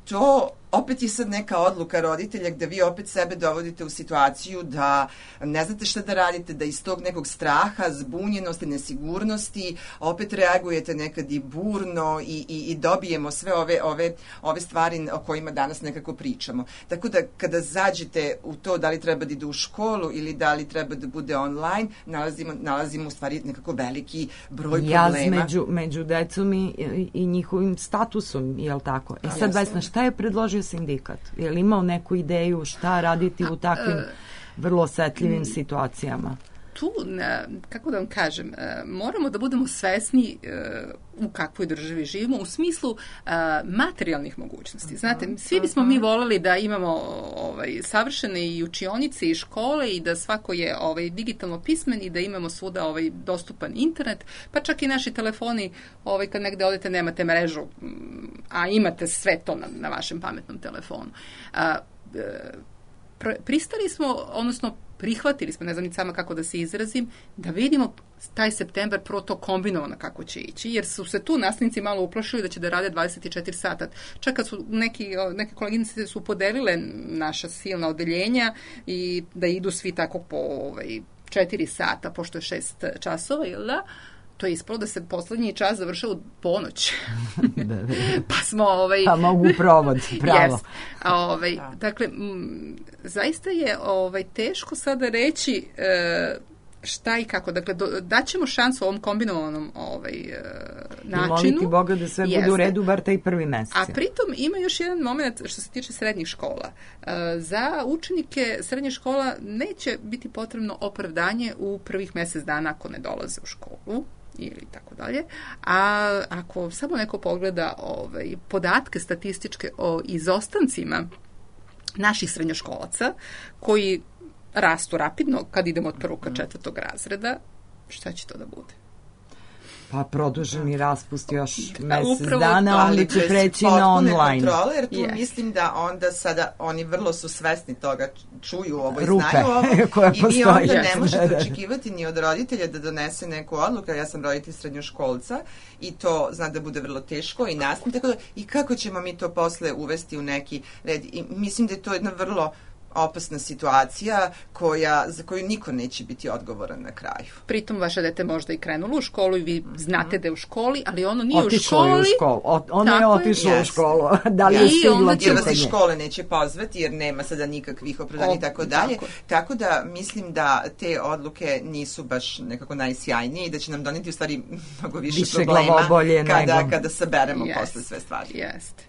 To opet je sad neka odluka roditelja gde vi opet sebe dovodite u situaciju da ne znate šta da radite, da iz tog nekog straha, zbunjenosti, nesigurnosti opet reagujete nekad i burno i, i, i dobijemo sve ove, ove, ove stvari o kojima danas nekako pričamo. Tako da kada zađete u to da li treba da ide u školu ili da li treba da bude online, nalazimo, nalazimo u stvari nekako veliki broj Jaz problema. Jaz među, među decom i, i njihovim statusom, je li tako? E sad, Vesna, šta je predložio sindikat? Je li imao neku ideju šta raditi u takvim vrlo osetljivim situacijama? Tu, kako da vam kažem, moramo da budemo svesni u kakvoj državi živimo, u smislu materijalnih mogućnosti. Znate, svi bismo mi voleli da imamo ovaj, savršene i učionice i škole i da svako je ovaj, digitalno pismen i da imamo svuda ovaj, dostupan internet, pa čak i naši telefoni, ovaj, kad negde odete nemate mrežu, a imate sve to na, na vašem pametnom telefonu. A, pristali smo, odnosno prihvatili smo, ne znam ni sama kako da se izrazim, da vidimo taj septembar prvo to kombinovano kako će ići, jer su se tu nastavnici malo uplašili da će da rade dvadeset četiri sata. Čak kad su neki, neke koleginice su podelile naša silna odeljenja i da idu svi tako po ovaj, četiri sata, pošto je šest časova, ili da? To je ispalo da se poslednji čas završao u ponoć. Pa smo... Ovaj, pa mogu provod, pravo. Yes. Ovaj, dakle, m, zaista je ovaj, teško sada reći e, šta i kako. Dakle, do, daćemo šansu ovom kombinovanom ovaj, e, načinu. I moliti Boga da sve bude u redu, bar taj prvi mesec. A pritom ima još jedan moment što se tiče srednjih škola. E, za učenike srednjih škola neće biti potrebno opravdanje u prvih mesec dana ako ne dolaze u školu ili tako dalje. A ako samo neko pogleda ovaj, podatke statističke o izostancima naših srednjoškolaca koji rastu rapidno kad idemo od prvog ka četvrtog razreda, šta će to da bude? Pa produženi raspust još mesec Upravo dana, onda će preći na online. Kontrole, jer tu yes. mislim da onda sada oni vrlo su svesni toga, čuju ovo i Rupe znaju ovo koja i postoji. vi onda ne možete očekivati ni od roditelja da donese neku odluku. Ja sam roditelj srednjoškolca i to zna da bude vrlo teško i nastavno, tako da i kako ćemo mi to posle uvesti u neki red. I mislim da je to jedna vrlo opasna situacija koja, za koju niko neće biti odgovoran na kraju. Pritom vaše dete možda i krenulo u školu i vi znate da je u školi, ali ono nije otišlo u školi. Je u školu. O, ono je otišlo je. u školu. Da li je stiglo jer vas iz škole neće pozvati, jer nema sada nikakvih opravdanja i tako dalje. Tako. tako da mislim da te odluke nisu baš nekako najsjajnije i da će nam doneti u stvari mnogo više, više problema kada, nego... kada saberemo yes. posle sve stvari. Jeste.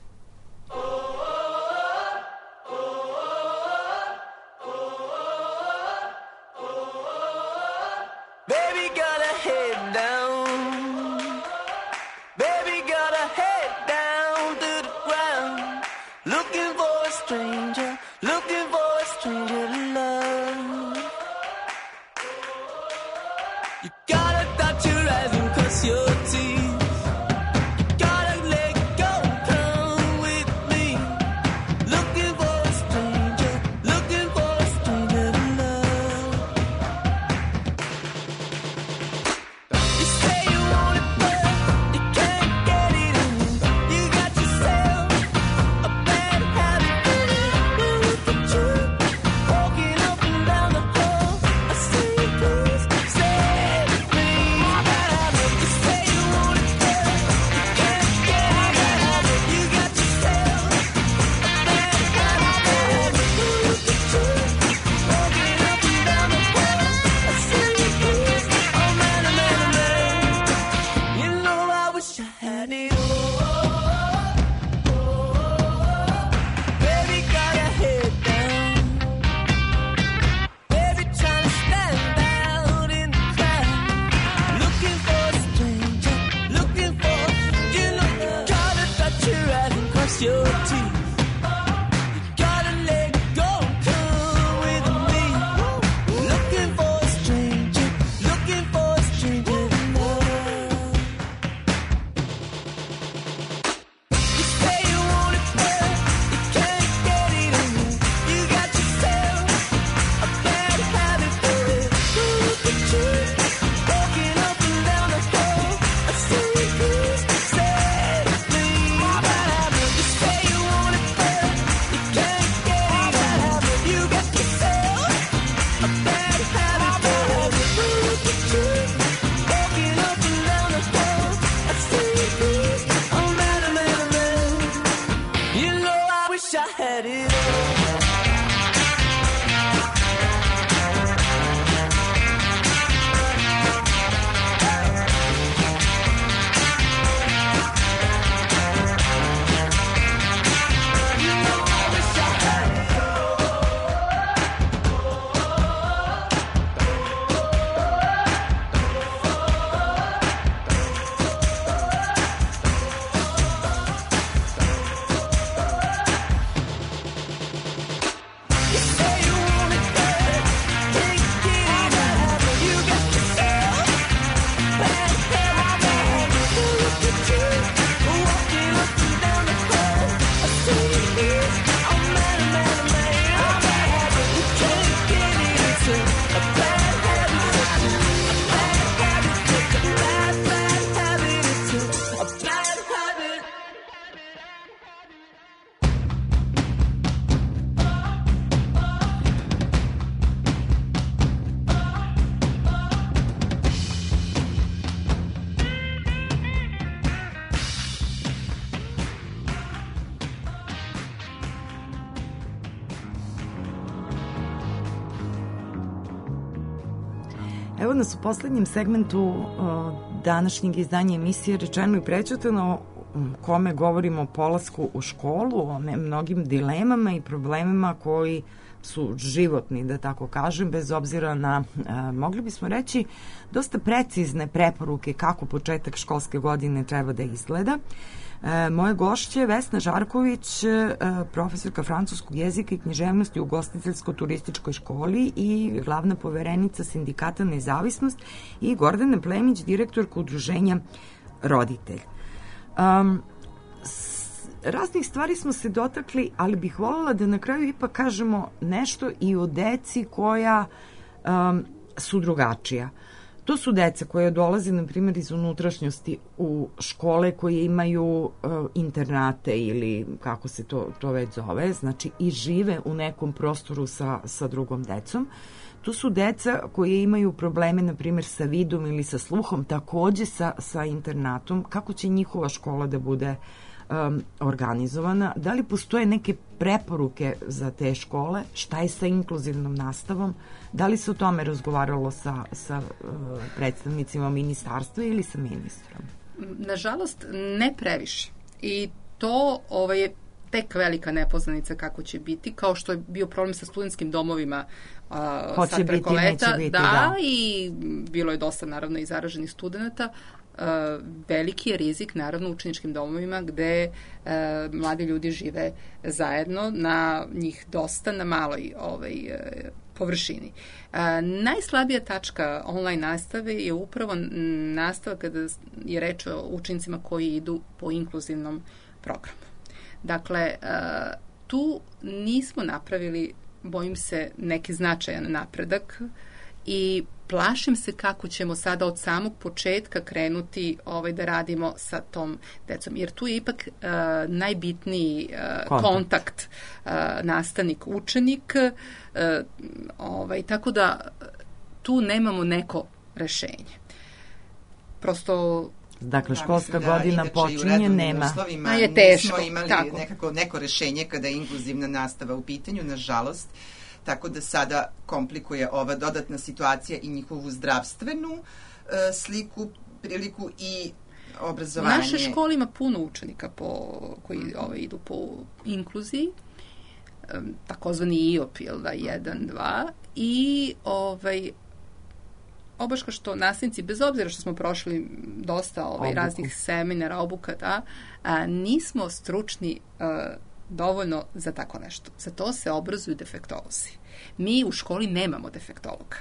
Evo nas u poslednjem segmentu o, današnjeg izdanja emisije Rečeno i prećutano, kome govorimo o polasku u školu, o ne, mnogim dilemama i problemima koji su životni, da tako kažem, bez obzira na, a, mogli bismo reći, dosta precizne preporuke kako početak školske godine treba da izgleda. E, moje gošće je Vesna Žarković, e, profesorka francuskog jezika i književnosti u ugostiteljsko-turističkoj školi i glavna poverenica Sindikata Nezavisnost, i Gordana Plemić, direktorka udruženja Roditelj. Um, raznih stvari smo se dotakli, ali bih voljela da na kraju ipak kažemo nešto i o deci koja um, su drugačija. To su deca koje dolaze, na primjer, iz unutrašnjosti u škole koje imaju uh, internate ili kako se to, to već zove, znači i žive u nekom prostoru sa, sa drugom decom. Tu su deca koje imaju probleme, na primjer, sa vidom ili sa sluhom, takođe sa, sa internatom. Kako će njihova škola da bude um, organizovana? Da li postoje neke preporuke za te škole? Šta je sa inkluzivnom nastavom? Da li se o tome razgovaralo sa, sa uh, predstavnicima ministarstva ili sa ministrom? Nažalost, ne previše. I to ovaj, je tek velika nepoznanica kako će biti, kao što je bio problem sa studentskim domovima uh, sad preko biti, leta. Biti, da, da, i bilo je dosta, naravno, i zaraženih studenta. Uh, veliki je rizik, naravno, u učeničkim domovima gde uh, mladi ljudi žive zajedno, na njih dosta, na maloj ovaj, uh, površini. Uh, najslabija tačka online nastave je upravo nastava kada je reč o učenicima koji idu po inkluzivnom programu. Dakle, uh, tu nismo napravili, bojim se, neki značajan napredak i plašim se kako ćemo sada od samog početka krenuti ovaj, da radimo sa tom decom. Jer tu je ipak uh, najbitniji uh, kontakt, kontakt uh, nastavnik-učenik. Uh, ovaj, tako da tu nemamo neko rešenje. Prosto... Dakle, školska da, godina da, počinje, nema. A je teško. Nismo imali tako. Nekako, neko rešenje kada je inkluzivna nastava u pitanju, nažalost. Tako da sada komplikuje ova dodatna situacija i njihovu zdravstvenu e, sliku, priliku i obrazovanje. Naša škola ima puno učenika po, koji mm. ovaj, idu po inkluziji, e, takozvani I O P, jel da, jedan, dva, i ovaj, obaška što nastavnici, bez obzira što smo prošli dosta ovaj, raznih seminara, obuka, da, a, nismo stručni a, dovoljno za tako nešto. Za to se obrazuju defektolozi. Mi u školi nemamo defektologa.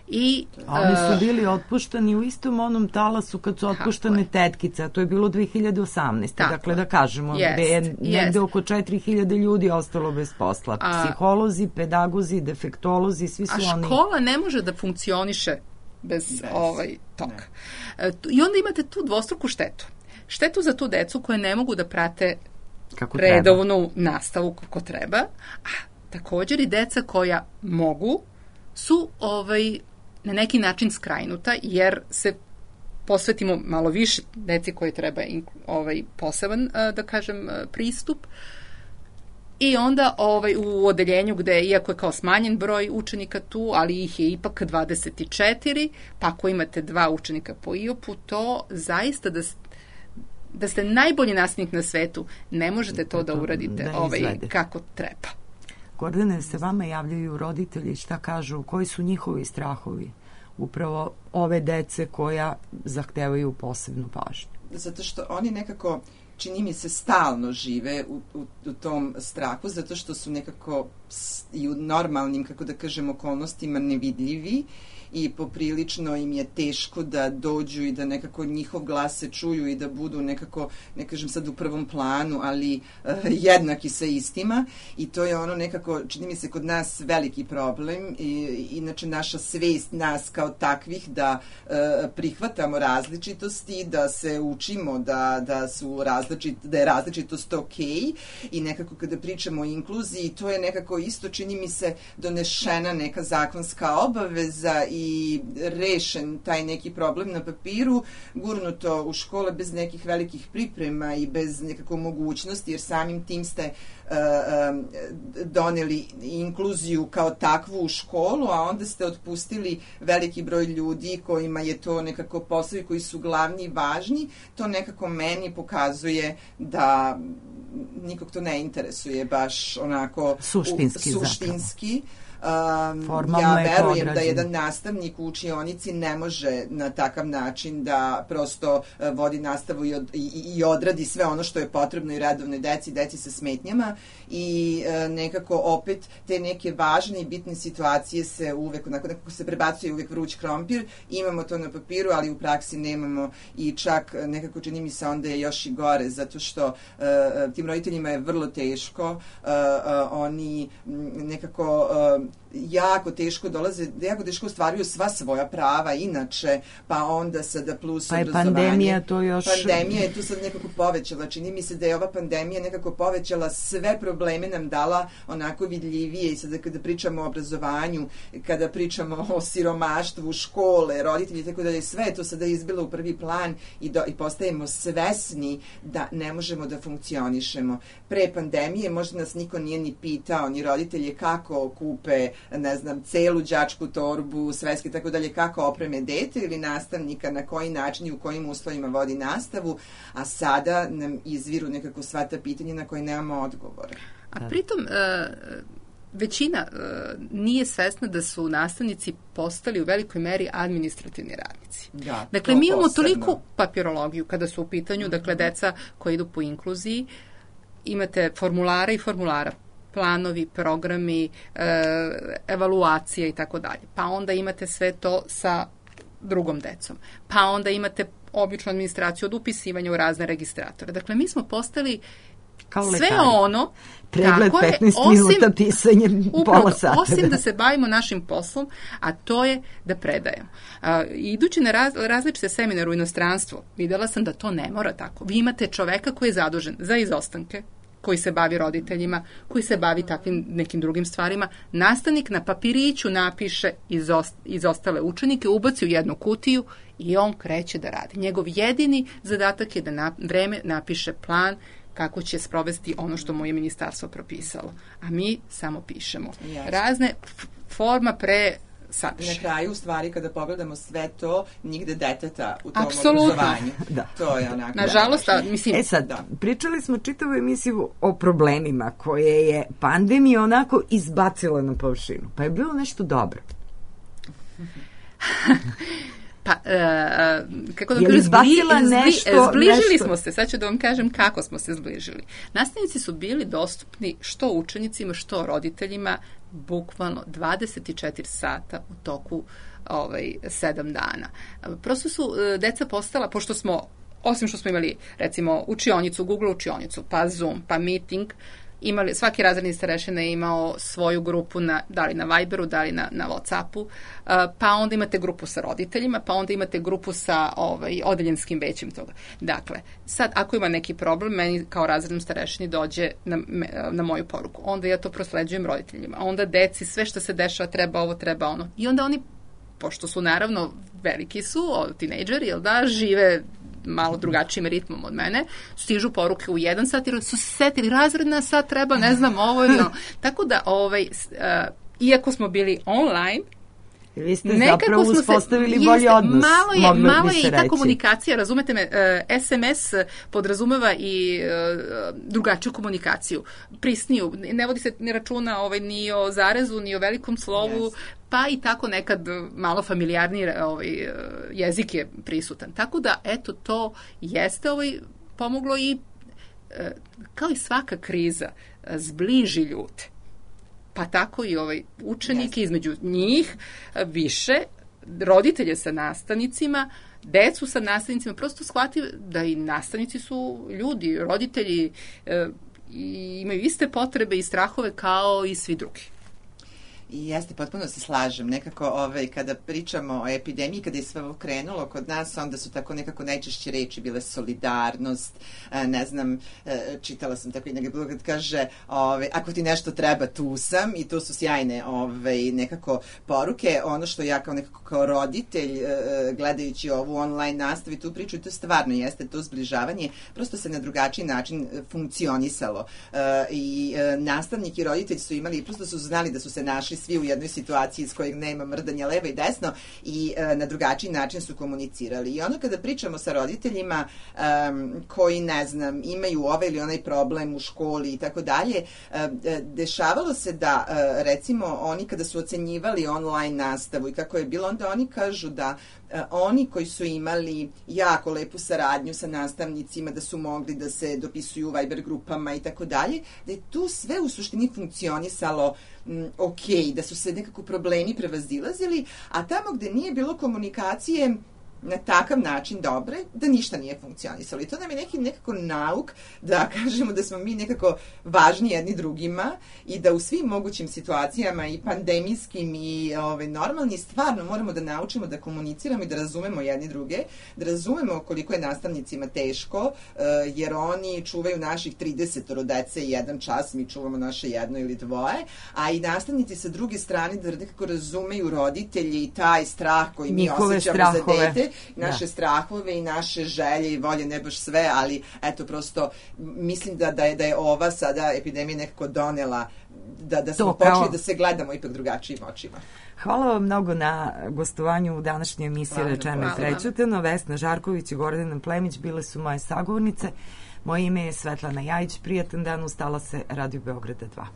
I, a oni su bili otpuštani u istom onom talasu kad su otpuštane tetkice, a to je bilo dve hiljade osamnaeste. Tako, dakle, da kažemo, jest, gde je negde jest. oko četiri hiljade ljudi ostalo bez posla. A, psiholozi, pedagozi, defektolozi, svi su a oni... A škola ne može da funkcioniše bez, bez ovaj, toga. Ne. I onda imate tu dvostruku štetu. Štetu za tu decu koje ne mogu da prate kako redovnu treba. nastavu kako treba, a također i deca koja mogu su ovaj, na neki način skrajnuta, jer se posvetimo malo više deci koje treba ovaj, poseban, da kažem, pristup. I onda ovaj, u odeljenju gde, iako je kao smanjen broj učenika tu, ali ih je ipak dvadeset četiri, pa ako imate dva učenika po I O P-u, to zaista da da ste najbolji nastavnik na svetu, ne možete to da uradite da ovaj, kako treba. Gordane, se vama javljaju roditelji, šta kažu, koji su njihovi strahovi upravo ove dece koja zahtevaju posebnu pažnju? Zato što oni nekako, čini mi se, stalno žive u, u, u tom strahu, zato što su nekako i u normalnim, kako da kažem, okolnostima nevidljivi i poprilično im je teško da dođu i da nekako njihov glas se čuju i da budu nekako, ne kažem sad u prvom planu, ali uh, jednaki sa istima, i to je ono nekako, čini mi se, kod nas veliki problem. I, inače naša svest nas kao takvih da uh, prihvatamo različitosti, da se učimo da, da, su različit, da je različitost ok, i nekako kada pričamo o inkluziji, to je nekako isto, čini mi se, donešena neka zakonska obaveza i i rešen taj neki problem na papiru, gurnuto u škole bez nekih velikih priprema i bez nekako mogućnosti, jer samim tim ste uh, doneli inkluziju kao takvu u školu, a onda ste otpustili veliki broj ljudi kojima je to nekako poslovi koji su glavni i važni, to nekako meni pokazuje da nikog to ne interesuje baš onako suštinski. U, suštinski. Um, ja verujem da jedan nastavnik u učionici ne može na takav način da prosto uh, vodi nastavu i, od, i, i odradi sve ono što je potrebno i redovnoj deci, deci sa smetnjama i uh, nekako opet te neke važne i bitne situacije se uvek, onako, nekako se prebacuje uvek vruć krompir, imamo to na papiru, ali u praksi nemamo i čak nekako čini mi se onda je još i gore, zato što uh, tim roditeljima je vrlo teško, uh, uh, oni nekako uh, jako teško dolaze, jako teško ostvaruju sva svoja prava inače, pa onda sada plus pa je obrazovanje. Pandemija to još... Pandemija je tu sad nekako povećala. Čini mi se da je ova pandemija nekako povećala sve probleme, nam dala onako vidljivije i sada kada pričamo o obrazovanju, kada pričamo o siromaštvu, škole, roditelji, tako da je sve to sada izbilo u prvi plan i, do, i postajemo svesni da ne možemo da funkcionišemo. Pre pandemije možda nas niko nije ni pitao, ni roditelje kako kupe ne znam, celu đačku torbu, sveske, tako dalje, kako opreme dete ili nastavnika, na koji način i u kojim uslovima vodi nastavu, a sada nam izviru nekako sva ta pitanja na koje nemamo odgovore. A pritom, većina nije svesna da su nastavnici postali u velikoj meri administrativni radnici. Da, dakle, mi imamo posebno toliku papirologiju kada su u pitanju, mm-hmm. dakle, deca koja idu po inkluziji, imate formulara i formulara, planovi, programi, e, evaluacije i tako dalje. Pa onda imate sve to sa drugom decom. Pa onda imate običnu administraciju od upisivanja u razne registratore. Dakle, mi smo postali kao sve lekari. Ono pregled petnaest minuta pisanje pola sata. Osim da se bavimo našim poslom, a to je da predajemo. A, idući na raz, različite seminare u inostranstvo, videla sam da to ne mora tako. Vi imate čoveka koji je zadužen za izostanke, koji se bavi roditeljima, koji se bavi takvim nekim drugim stvarima. Nastavnik na papiriću napiše izost, izostale učenike, ubaci u jednu kutiju i on kreće da radi. Njegov jedini zadatak je da na vreme napiše plan kako će sprovesti ono što mu je ministarstvo propisalo. A mi samo pišemo. Jasne. Razne forma pre sadrži. Na kraju, u stvari, kada pogledamo sve to, nigde deteta u tom apsolutno obrazovanju. Da. To je onako... Nažalost, da, mislim... E sad, da. Pričali smo čitavu emisiju o problemima koje je pandemija onako izbacila na površinu. Pa je bilo nešto dobro. Pa, e, kako da kažem, zbli, nešto, zbližili nešto. smo se, sad ću da vam kažem kako smo se zbližili. Nastavnici su bili dostupni što učenicima, što roditeljima, bukvalno dvadeset četiri sata u toku ovaj, sedam dana. Prosto su deca postala, pošto smo, osim što smo imali, recimo, učionicu, Google učionicu, pa Zoom, pa meeting, imali, svaki razredni starešina je imao svoju grupu na, da li na Viberu, da li na, na Whatsappu, pa onda imate grupu sa roditeljima, pa onda imate grupu sa ovaj, odeljenskim većim toga. Dakle, sad ako ima neki problem, meni kao razrednom starešini dođe na, na moju poruku. Onda ja to prosleđujem roditeljima. Onda deci sve što se dešava treba ovo, treba ono. I onda oni, pošto su naravno veliki su, tinejdžeri, jel da, žive malo drugačijim ritmom od mene, stižu poruke u jedan sat jer su se setili razredna sad treba, ne znam, ovo ili ono. Tako da, ovaj, uh, iako smo bili online, vi ste zapravo uspostavili se, bolji odnos. Malo je, malo je i ta reći. Komunikacija, razumete me, uh, es em es podrazumeva i uh, drugačiju komunikaciju, prisniju, ne vodi se ni računa ovaj, ni o zarezu, ni o velikom slovu, yes. Pa i tako nekad malo familijarniji ovaj, jezik je prisutan. Tako da, eto, to jeste ovaj, pomoglo i, kao i svaka kriza, zbliži ljude. Pa tako i ovaj učenike, yes. Između njih više, roditelje sa nastavnicima, decu sa nastavnicima, prosto shvati da i nastavnici su ljudi, roditelji e, i imaju iste potrebe i strahove kao i svi drugi. I jeste, potpuno se slažem. Nekako ovaj, kada pričamo o epidemiji, kada je sve ovo krenulo kod nas, onda su tako nekako najčešće reči bile solidarnost, ne znam, čitala sam tako i negdje bilo kad kaže ovaj, ako ti nešto treba, tu sam, i to su sjajne ovaj, nekako poruke. Ono što ja kao nekako kao roditelj gledajući ovu online nastavu i tu priču, i to stvarno jeste to zbližavanje, prosto se na drugačiji način funkcionisalo. I nastavnik i roditelj su imali, prosto su znali da su se našli svi u jednoj situaciji iz kojeg nema mrdanja levo i desno i e, na drugačiji način su komunicirali. I ono kada pričamo sa roditeljima um, koji, ne znam, imaju ovaj ili onaj problem u školi i tako dalje, dešavalo se da, e, recimo, oni kada su ocenjivali online nastavu i kako je bilo, onda oni kažu da e, oni koji su imali jako lepu saradnju sa nastavnicima, da su mogli da se dopisuju u Viber grupama i tako dalje, da je tu sve u suštini funkcionisalo m, ok, da su se nekako problemi prevazilazili, a tamo gde nije bilo komunikacije na takav način dobre, da ništa nije funkcionisalo. I to nam je neki nekako nauk da kažemo da smo mi nekako važni jedni drugima i da u svim mogućim situacijama i pandemijskim i ove, normalni stvarno moramo da naučimo da komuniciramo i da razumemo jedni druge, da razumemo koliko je nastavnicima teško, jer oni čuvaju naših trideset dece i jedan čas, mi čuvamo naše jedno ili dvoje, a i nastavnici sa druge strane da nekako razumeju roditelji i taj strah koji mi Njihove osjećamo strahove. za dete, naše da. strahove i naše želje i volje, ne baš sve, ali eto, prosto mislim da, da, je, da je ova sada epidemija nekako donela da, da smo To počeli kao... da se gledamo ipak drugačijim očima. Hvala vam mnogo na gostovanju u današnjoj emisiji Rečeno i prećutano. Vesna Žarković i Gordana Plemić bile su moje sagovornice. Moje ime je Svetlana Jajić. Prijatan dan, ustala se Radio Beograda dva.